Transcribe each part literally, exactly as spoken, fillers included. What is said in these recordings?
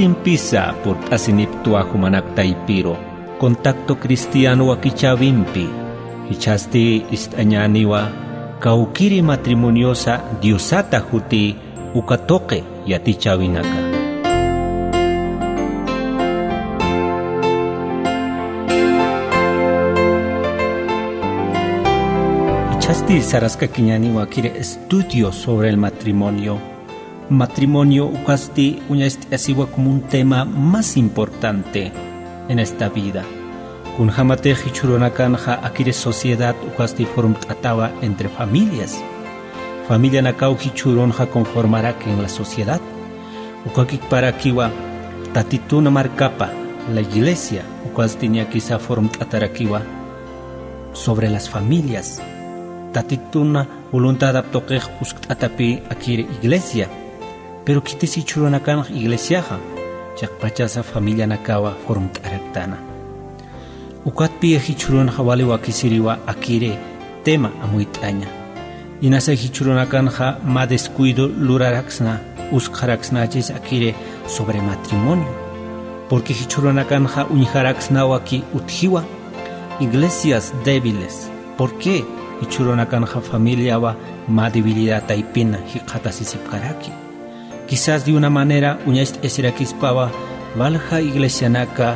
Impisa purt'asinipktwa jumanak taypiru, Contacto Cristiano wakichäwimpi. Jichhasti ist'añäniwa kawkiri matrimoniosa Diosata juti uka tuqi yatichäwinaka. Jichhasti saraskakiñäniwa akiri estudio sobre el matrimonio. Matrimonio ukasti uñacht'asiwa como un tema más importante en esta vida. Kunjämatix jichhürunakanxa akiri sociedad ukasti formt'atawa entre familias. Familianakaw jichhürunxa conformaraki en la sociedad. Ukakiparakiwa Tatitun markapa, la iglesia, ukasti ñakisa formt'atarakiwa sobre las familias. Tatitun voluntadap tuqix uskt'atapï akiri iglesia. Pero khitis jichhürunakanx iglesiaxa, chiqpachasa familianakawa formt'araktäna. Ukatpï jichhürunxa wali wakisiriwa akiri tema amuyt'aña. Inasa jichhürunakanxa mä descuido luraraksna, uskxaraksnachis akiri sobre matrimonio. Porque jichhürunakanxa uñjaraksnawa ki utjiwa iglesias débiles. ¿Por qué? Jichhürunakanxa familiawa mä debilidad taypina jikxatasisipkaraki. Quizás de una manera uñacht'asirakispawa walja iglesianaka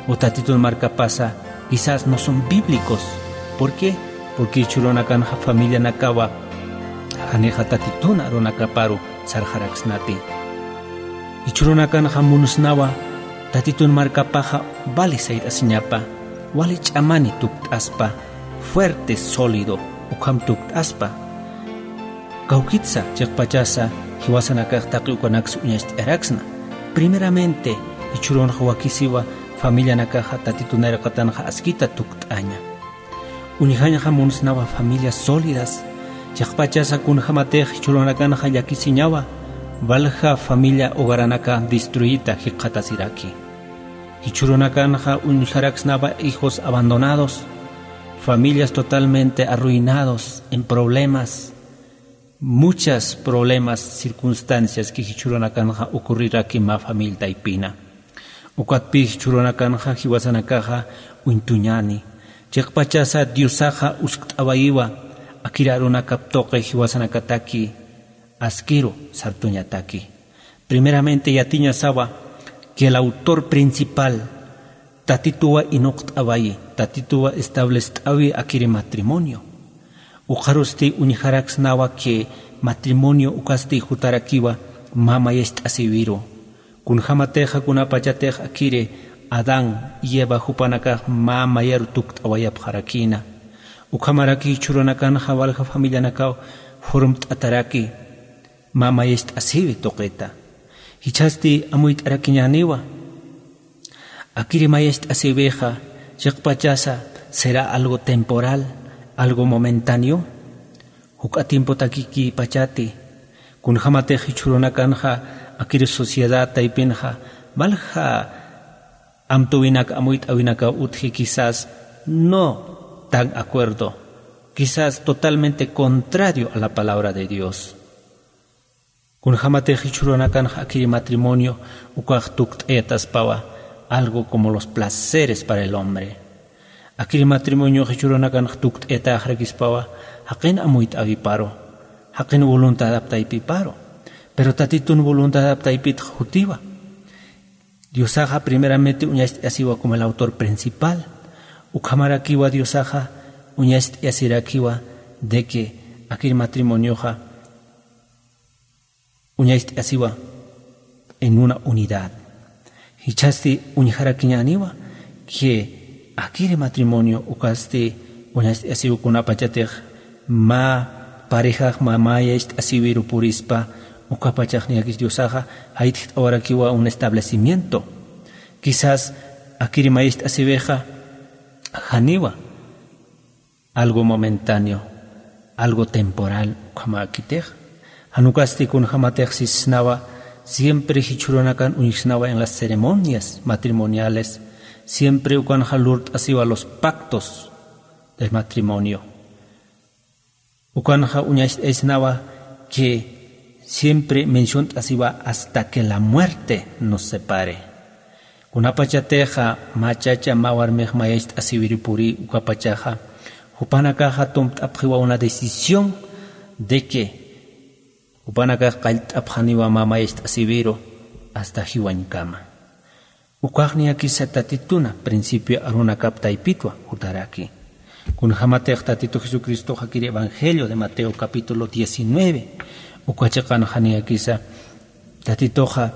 o Tatitun markapasa quizás no son bíblicos. ¿Por qué? Porque jichhürunakanxa familianakawa janixa Tatitun arunakaparu sarxaraksnati. Jichhürunakanxa munsnawa Tatitun markapaxa wali sayt'asiñapa, wali ch'amani tukt'aspa, fuerte, sólido, ukham tukt'aspa. Kawkitsa, chiqpachasa, jiwasanakax taqi ukanaksa uñacht'ayaraksna. Primeramente, jichhürunxa wakisiwa familianakaxa Tatitun nayraqatanxa askita tukt'aña. Uñjañxa munsnawa familias sólidas, chiqpachasa kunjämatix jichhürunakanxa llakisiñawa, walja familia hogaranaka destruita jikxatasiraki. Jichhürunakanxa uñjaraksnawa hijos abandonados, familias totalmente arruinados, en problemas, muchas problemas, circunstancias que jichhürunakanxa ocurriraki mä familia taypina. Ukatpï jichhürunakanxa jiwasanakaxa uñtuñäni. Chiqpachasa Diosaxa uskt'awayiwa akir arunakap tuqi jiwasanakataki askiru sartuñataki. Primeramente yatiñasawa que el autor principal Tatituwa inuqt'awayi, Tatituwa establest'awi akiri matrimonio. Ukxarusti uñjaraksnawa que matrimonio ukasti jutarakiwa mä mayacht'asiwiru. Kunjämatixa kunapachatix akiri Adán y Eva jupanakax mä mayaru tukt'awayapxarakïna. Ukhamaraki jichhürunakanxa walja familianakaw formt'ataraki mä mayacht'asiwi tuqita. Jichhasti amuyt'arakiñäniwa. Akiri mayacht'asiwixa, chiqpachasa, será algo temporal, algo momentáneo. Juk'a tiempotakikipachati, kunjämatix jichhürunakanxa, akiri sociedad taypinxa, walja amtuwinak, amuyt'awinakaw utji quizás no tan acuerdo, quizás totalmente contrario a la palabra de Dios. Kunjämatix jichhürunakanxa akiri matrimonio ukax tukt'ayataspawa algo como los placeres para el hombre. Akiri matrimonio jichhürunakanxa tukt'ayatäxarakispawa jaqin amuyt'awiparu, jaqin voluntadap taypiparu. Pero Tatitun voluntadap taypitx jutiwa. Diosaxa primeramente uñacht'ayasiwa como el autor principal. Ukhamarakiwa Diosaxa uñacht'ayasirakiwa de que akiri matrimonioxa uñacht'ayasiwa en una unidad. Jichhasti uñjarakiñäniwa que akiri matrimonio ukasti uñacht'ayasiwa kunapachatix mä parejax mä mayacht'asiwiru purispa, ukapachax niyakis Diosaxa jayt't'awarakiwa un establecimiento. Quizás akiri mayacht'asiwixa janiwa algo momentáneo, algo temporal, ukhamäkitix. Jan ukasti kunjämatix sisnawa, siempre jichhürunakan uñjsnawa en las ceremonias matrimoniales, siempre ukanxa lurt'asiwa los pactos del matrimonio. Ukanxa uñacht'aysnawa que siempre menciont'asiwa hasta que la muerte nos separe. Kunapachatixa mä chacha mä warmix mayacht'asiwiri puri ukapachaxa, jupanakaxa tumpt'apxiwa una decisión de que jupanakax qallt'apxaniwa mä mayacht'asiwiru hasta jiwañkama. Ukaxniyakisa tatituna principio arunakap taypitwa jutaraki. Kunjamatix tatitu jesucristoxa kiri evangelio de mateo capítulo diecinueve uka chiqanxaniyakisa tatituxa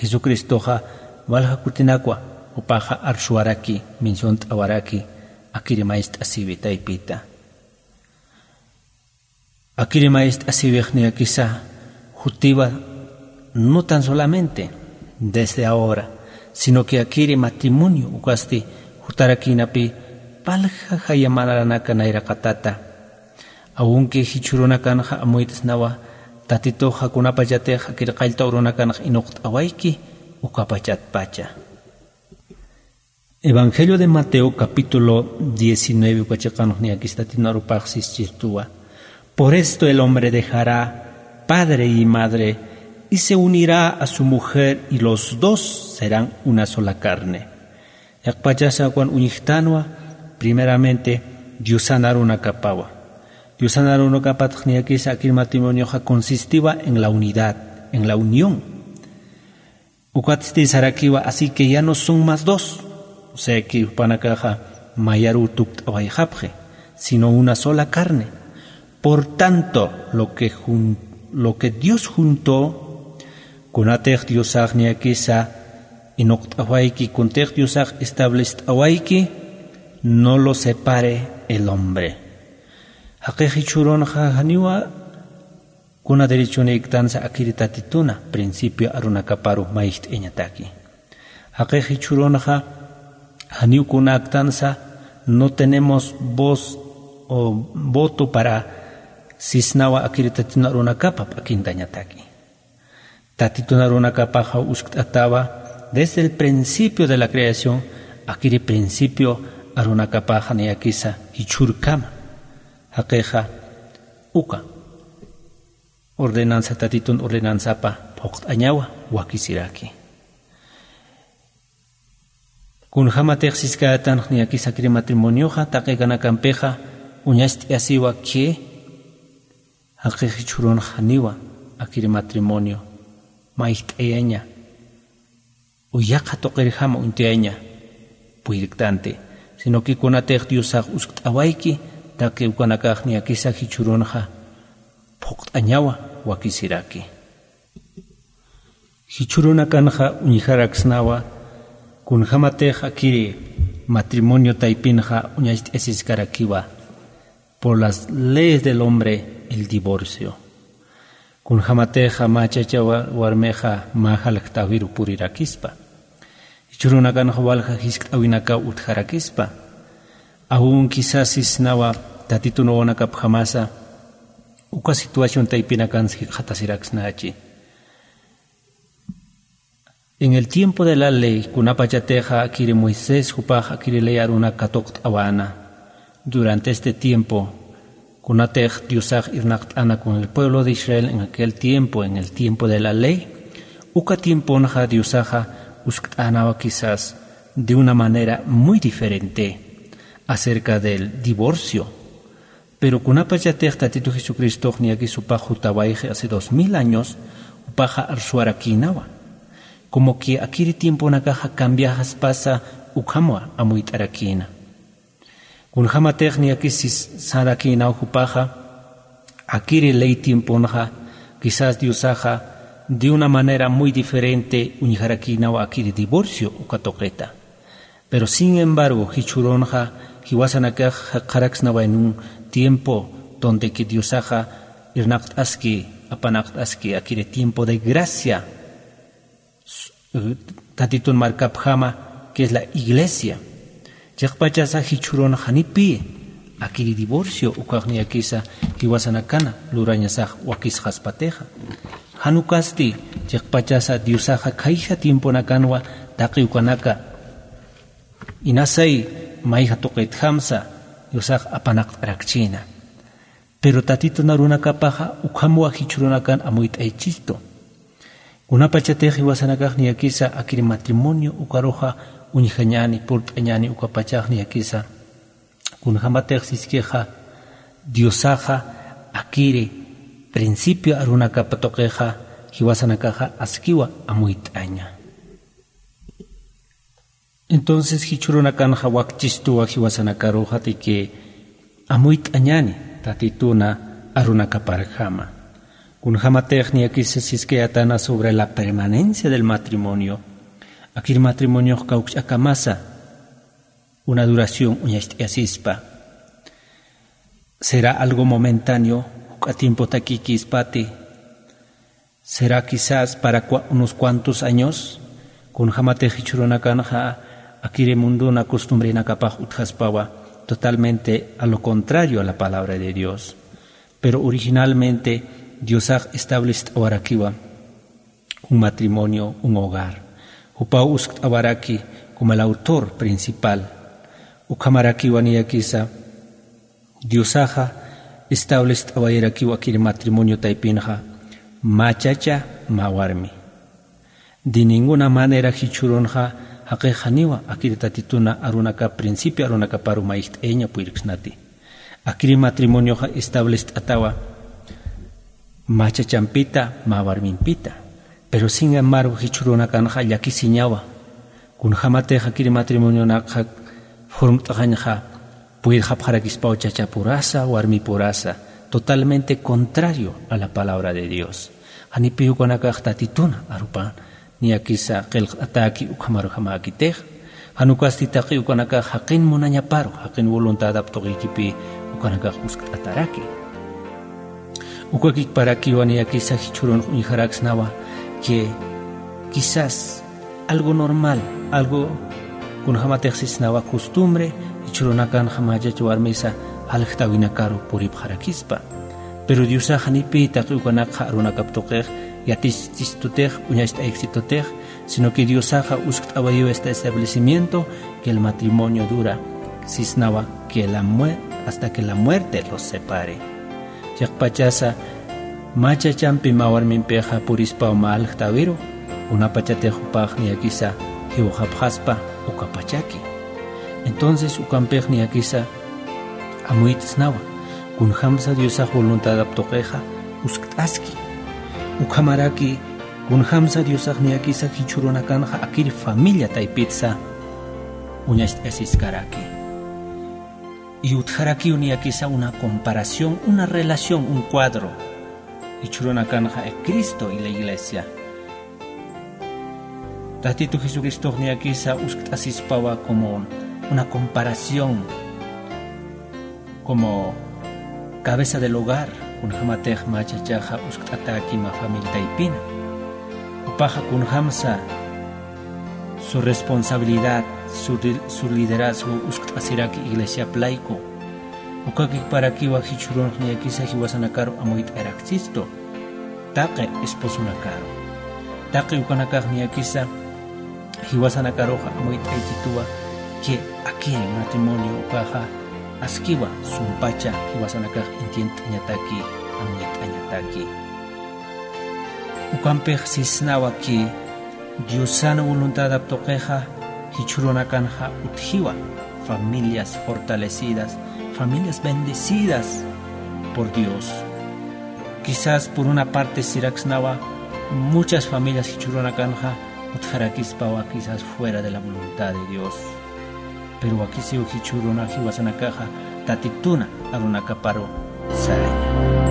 jesucristoxa walja kutinakwa jupaxa arsuwaraki, menciont'awaraki akiri mayacht'asiwi taypita. Akiri mayacht'asiwixniyakisa jutiwa no tan solamente desde ahora, sino que akiri matrimonio ukasti jutarakïnapi palja jaya manaranaka nayraqatata. Aunque jichhürunakanxa amuyt'snawa tatituxa kunapachatix akir qallta urunakanxa inuqt'awayki ukapachatpacha. Evangelio de mateo capítulo diecinueve uka chiqanxniyakis tatitun arupax sischirtuwa. Por esto el hombre dejará padre y madre y se unirá a su mujer y los dos serán una sola carne. Yaqpachasa ukan uñjtanwa primeramente diosan arunakapawa. Diosan arunakapatxniyakisa akir matrimonioxa consistiwa en la unidad, en la unión. Ukatsti sarakiwa así que ya no son más dos, o sea que jupanakaxa mayaruw tukt'awayxapxi, sino una sola carne. Por tanto lo que, lo que dios juntó, kunatix diosaxniyakisa inuqt'awayki kuntix diosax establest'awayki, no lo separe el hombre. Jaqix jichhürunxa janiwa kuna derechonïktansa akiri tatituna principio arunakaparu mayjt'ayañataki. Jaqix jichhürunxa janiw kunäktansa no tenemos voz o voto para sisnawa akiri tatitun arunakapa p'akintañataki. Tatitun arunakapaxa uskt'atawa desde el principio de la creación akiri principio arunakapaxa niyakisa jichhürkama. Jaqixa uka ordenansa tatitun ordenansapa phuqt'añawa wakisiraki. Kunjamatix siskätanx niyakisa akiri matrimonioxa taqikanakampixa uñacht'ayasiwa que jaqix jichhürunx janiwa akiri matrimonio mayjt'ayaña uyaqa tuqirjama uñt'ayaña puyrktanti, sino que kunatix diosax uskt'awayki taqi ukanakax niyakisa jichhürunxa phuqt'añawa wakisiraki. Jichhürunakanxa uñjaraksnawa kunjamatix akiri matrimonio taypinxa uñacht'asiskarakiwa por las leyes del hombre el divorcio. Kunjamatixa mä chacha warmixa mä jaljtäwiru purirakispa, jichhürunakanxa walja jiskt'äwinakaw utjarakispa, aun quizás sisnawa tatitun wawanakapjamasa uka situación taypinakansa jikxatasiraksnachi. En el tiempo de la ley kunapachatixa akiri moisés jupax akiri ley arunak katuqt'awana, durante este tiempo kunatix diosax irnaqt'ana con el pueblo de israel en aquel tiempo en el tiempo de la ley, uka tiemponxa diosaxa uskt'anawa quizás de una manera muy diferente acerca del divorcio. Pero kunapachatix tatitu jesucristox niyakis jupax jutawayxi hace dos mil años jupaxa arsuwarakïnawa, como que akiri tiemponakaxa cambiaxaspasa ukhamwa amuyt'arakïna. Kunjamatix niyakis sarakïnaw jupaxa akiri ley tiemponxa quizás diosaxa de una manera muy diferente uñjarakïnawa akiri divorcio uka tuqita. Pero sin embargo jichhürunxa jiwasanakax jaqaraksnawa en un tiempo donde que diosaxa irnaqt'aski apanaqt'aski akiri tiempo de gracia tatitun markapjama que es la iglesia. Chiqpachasa jichhürunxa janipï akiri divorcio ukaxniyakisa jiwasanakana lurañasax wakisxaspatixa. Jan ukasti chiqpachasa diosaxa khaysa tiemponakanwa taqi ukanaka inasay mayja tuqitjamsa diosax apanaqt'arakchïna. Pero tatitun arunakapaxa ukhamwa jichhürunakan amuyt'aychistu. Kunapachatix jiwasanakax niyakisa akir matrimonio ukaruxa uñjañäni, purt'añäni ukapachax niyakisa. Kunjamatix siskixa Diosaxa akiri principio arunakap tuqixa jiwasanakaxa askiwa amuyt'aña. Entonces jichhürunakanxa wakchistuwa jiwasanakaruxa de que amuyt'añäni tatituna arunakaparjama. Kunjamatix niyakisa siskayätana sobre la permanencia del matrimonio, akir matrimoniox kawkch'akamasa una duración uñacht'ayasispa. ¿Será algo momentáneo, juk'a tiempotakikispati? ¿Será quizás para cua-, unos cuantos años? Kunjamatix jichhürunakanxa akiri munduna costumbrenakapax utjaspawa, totalmente a lo contrario a la palabra de Dios. Pero originalmente Diosax establest'awarakiwa un matrimonio, un hogar. Jupaw uskt'awaraki como el autor principal. Ukhamarakiwa niyakisa Diosaxa establest'awayarakiwa akir matrimonio taypinxa, mä chacha, mä warmi. De ninguna manera jichhürunxa jaqix janiwa akir tatituna arunakap principio arunakaparu mayjt'ayaña puyirksnati. Akir matrimonioxa establest'atawa mä chachampita, mä warmimpita. Pero sin embargo, jichhürunakanxa llakisiñawa. Kunjamatix akir matrimonionakxa formt'xañxa, puyirxapxarakispaw chachapurasa, warmipurasa, totalmente contrario a la palabra de Dios. Janipiw ukanakax tatituna arupan niyakisa qillqt'atäki ukhamarjamäkitix. Jan ukasti taqi ukanakax jaqin munañaparu, jaqin voluntadap tuqikipï ukanakax uskt'ataraki. Ukakikparakiwa niyakisa jichhürunx uñjaraksnawa que quizás algo normal, algo kunjamatix sisnawa costumbre, jichhürunakanxa mä chacha warmisa aljt'awinakaru puripxarakispa. Pero Diosax janipï taqi ukanakxa arunakap tuqix yatichistutix, uñacht'ayksitutix, sino que Diosaxa uskt'awayiwa este establecimiento que el matrimonio dura, sisnawa que la mue-, hasta que la muerte los separe. Chiqpachasa mä chachampi mä warmimpixa purispaw mä aljt'awiru, kunapachatix jupax niyakisa jiwxapxaspa ukapachaki. Entonces ukampix niyakisa amuyt'snawa, kunjamsa Diosax voluntadap tuqixa uskt'aski. Ukhamaraki kunjamsa Diosax niyakisa jichhürunakanxa akir familia taypitsa uñacht'ayasiskaraki. Y utjarakiw niyakisa una comparación, una relación, un cuadro. Jichhürunakanxa Cristo y la iglesia. Tatitu Jesucristox niyakisa uskt'asispawa como una comparación, como cabeza del hogar, kunjamatix mä chachaxa uskt'atäki mä familia taypina. Jupaxa kunjamsa su responsabilidad, su li-, su liderazgo uskt'asiraki iglesiap layku. Ukakikparakiwa jichhürunx niyakisa jiwasanakaru amuyt'ayaraksistu taqi esposonakaru. Taqi ukanakax niyakisa jiwasanakaruxa amuyt'aychituwa que akir matrimonio ukaxa askiwa sumpacha jiwasanakax entiendt'añataki, amuyt'añataki. Ukampix sisnawa que Diosan voluntadap tuqixa jichhürunakanxa utjiwa familias fortalecidas, familias bendecidas por Dios. Quizás por una parte siraksnawa muchas familias jichhürunakanxa utjarakispawa quizás fuera de la voluntad de Dios. Pero wakisiw jichhüruna jiwasanakaxa tatituna arunakaparu saraña.